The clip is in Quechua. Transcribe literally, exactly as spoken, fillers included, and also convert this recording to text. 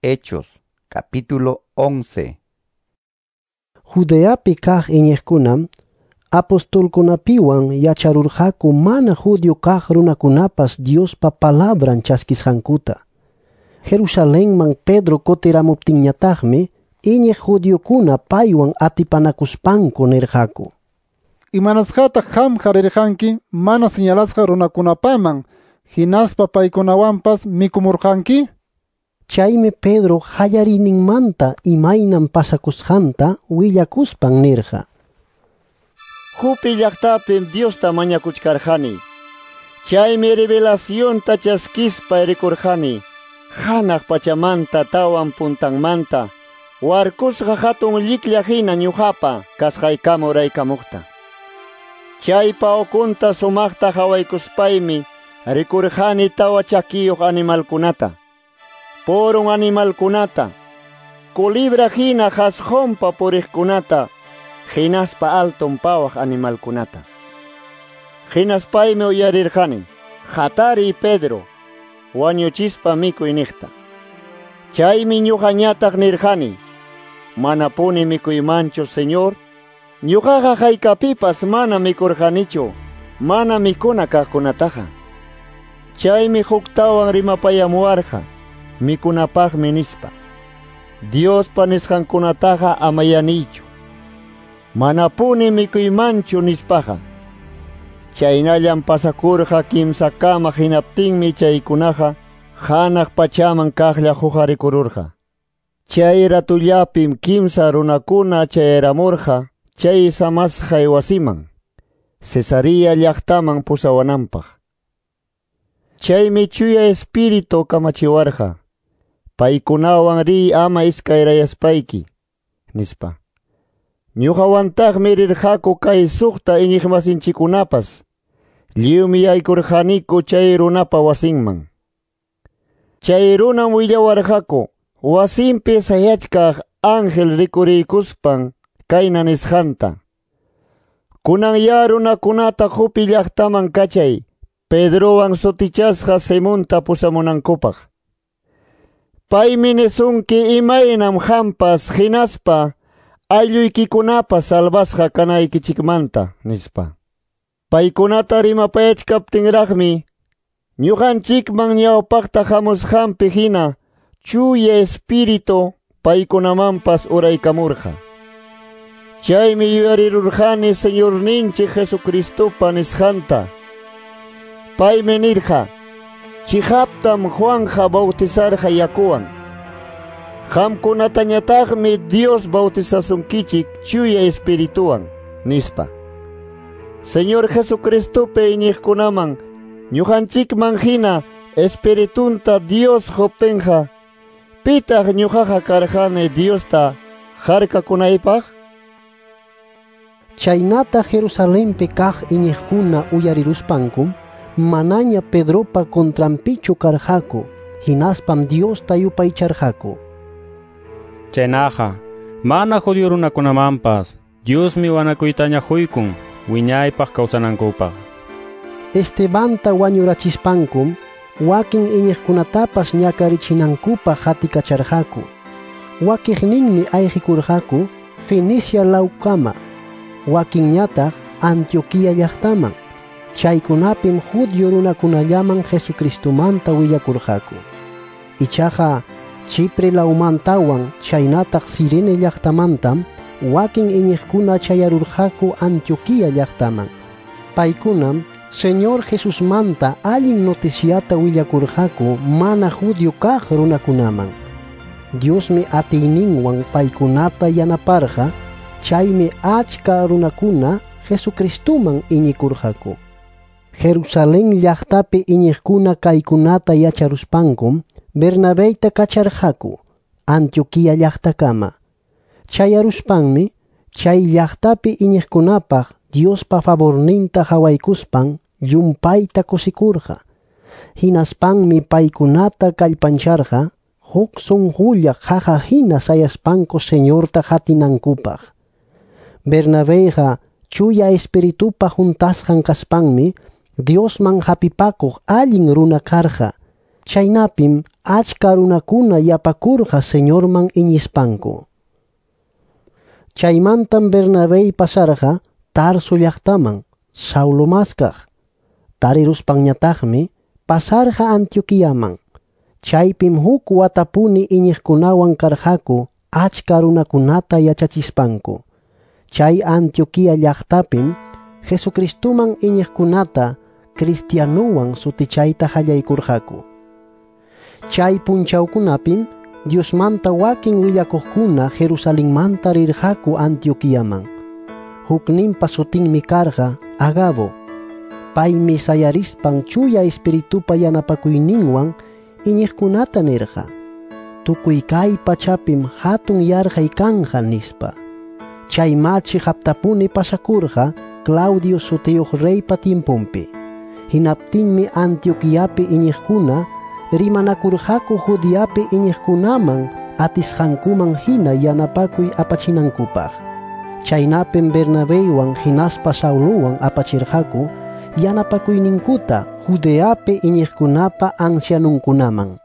Hechos, capítulo once. Judeapi kaq iñiqkunam apostolkunapiwan yacharurqaku mana judío kaq runakunapas Diospa palabran chaskisqankuta. Jerusalenman Pedro kutiramuptinñataqmi iñiq judiokuna paywan atipanakuspanku nirqaku: Imanasqataq qamqa rirqanki mana señalasqa runakunapaman, hinaspa paykunawanpas mikumurqanki? Chaymi Pedro qallariyninmanta imaynam pasakusqanta willakuspan nirqa: Jope llaqtapim Diosta mañakuchkarqani. Chaymi revelacionta chaskispa rikurqani. Hanaq pachamanta tawan puntanmanta warkusqa hatun lliklla hina ñuqapa kasqaykama uraykamuqta. Chaypa ukunta sumaqta hawaykuspaymi rikurqani tawa chakiyuq animalkunata, purun animalkunata, culibra hina qasqunpa puriqkunata, hinaspa alton pawaq animalkunata. Hinaspaymi uyarirqani: "Hatariy Pedro, wañuchispa mikuy" niqta. Chaymi ñuqañataq nirqani: "Manapuni mikuymanchu, Señor. Ñuqaqa haykapipas mana mikurqanichu, mana mikuna kaqkunataqa." Chaymi huktawan rimapayamuwarqa: "Mikunapaqmi" nispa. Diospa nisqankunataqa amayanichu. Manapuni mikuymanchu nispaqa. Chaynallam pasakurqa kimsakama, hinaptinmi chaykunaqa hanaq pachaman kaqlla huqarikururqa. Chay ratullapim kimsa runakuna chayramurqa chay samasqay wasiman, Cesarea llaqtaman pusawananpaq. Chaymi Chuya Espíritu kamachiwarqa: "Paykunawan riy ama iskayrayaspayki" nispa. Ñuqawantaqmi rirqaku kay suqta iñiqmasinchikkunapas. Lliwmi yaykurqaniku chay runapa wasinman. Chay runam willawarqaku wasinpi sayachkaq ángel rikuriykuspan kayna nisqanta: "Kunan ya runakunata Jope llaqtaman kachay, Pedrowan sutichasqa Simonta pusamunankupaq. Paymi nisunki imaynam qampas hinaspa aylluykikunapas salvasqa kanaykichikmanta" nispa. Paykunata rimapayachkaptinraqmi ñuqanchikman ñawpaqta hamusqanpi hina Chuya Espíritu paykunamanpas uraykamurqa. Chaymi yuyarirurqani Señorninchik Jesucristopa nisqanta. Paymi nirqa: "Chiqaptam Juanja bautizarqa yakuwan. Qamkunatañataqmi Dios bautizasunkichik Chuya Espirituwan" nispa. Señor Jesucristopi iñiqkunaman ñuqanchikman hina Espiritunta Dios quptinqa, pitaq ñuqaqa karqani Diosta harkakunaypaq? Chaynata Jerusalenpi kaq iñiqkuna uyariruspankum manaña Pedropa contranpichu karqaku, hinaspam Diosta yupaycharqaku. Chaynaqa, mana judío runakunamanpas Diosmi wanakuytaña huykun wiñaypaq kawsanankupaq. Estebanta wañurachispankum wakin iñiqkunatapas ñakarichinankupaq hatikacharqaku. Wakiqninmi ayqikurqaku Fenicia lawkama, wakinñataq Antioquía llaqtaman. Chaykunapim judío runakunallaman Jesucristomanta willakurqaku. Ichaqa Chipre lawmantawan chaynataq Cirene llaqtamantam wakin iñiqkuna chayarurqaku Antioquía llaqtaman. Paykunam Señor Jesusmanta allin noticiata willakurqaku mana judío kaq runakunaman. Diosmi atiyninwan paykunata yanaparqa, chaymi achka runakuna Jesucristoman iñikurqaku. Jerusalén llaqtapi iñiqkuna kaykunata yacharuspankum Bernabeyta kacharqaku Antioquía llaqtakama. Chayaruspanmi chay llaqtapi iñiqkunapaq Diospa favorninta hawaykuspan llumpayta kusikurqa. Hinaspanmi paykunata kallpancharqa huk sunqulla qaqa hina sayaspanku Señorta qatinankupaq. Bernabeyqa Chuya Espiritupa huntasqan kaspanmi Diosman hapipakuq allin runa karqa. Chaynapim achka runakuna yapakurqa Señorman iñispanku. Chaymantam Bernabé pasarqa Tarso llaqtaman Saulo maskaq. Tariruspanñataqmi pasarqa Antioquiaman. Chaypim huk watapuni iñiqkunawan karqaku achka runakunata yachachispanku. Chay Antioquia llaqtapim Jesucristuman iñiqkunata cristianuwan sutichayta qallaykurqaku. Chay punchawkunapim Diosmanta wakin willakuqkuna Jerusalenmanta rirqaku Antioquiaman. Hukninpa sutinmi karqa Agabo. Paymi sayarispan chuya espiritupa yanapakuyninwan iñiqkunata nirqa: Tukuy kay pachapim hatun yarqay kanqa nispa. Chay machi haptapuni pasakurqa Claudio sutiyuq reypa tiemponpi. Hinaptinmi Antioquiapi iñiqkuna rimanakurqaku Judeapi iñiqkunaman atisqankuman hina yanapakuy apachinankupaq. Chaynapim Bernabéwan hinaspa Saulowan apachirqaku yanapakuyninkuta Judeapi iñiqkunapa ancianunkunaman.